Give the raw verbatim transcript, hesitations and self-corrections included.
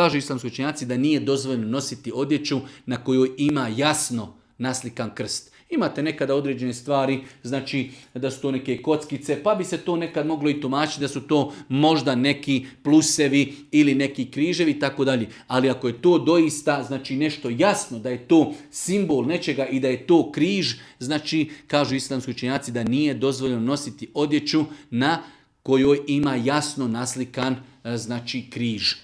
Kažu islamski učenjaci da nije dozvoljeno nositi odjeću na kojoj ima jasno naslikan krst. Imate nekada određene stvari, znači da su to neke kockice, pa bi se to nekad moglo i tumačiti da su to možda neki plusevi ili neki križevi i tako dalje. Ali ako je to doista znači nešto jasno, da je to simbol nečega i da je to križ, znači kažu islamski učenjaci da nije dozvoljeno nositi odjeću na kojoj ima jasno naslikan znači križ.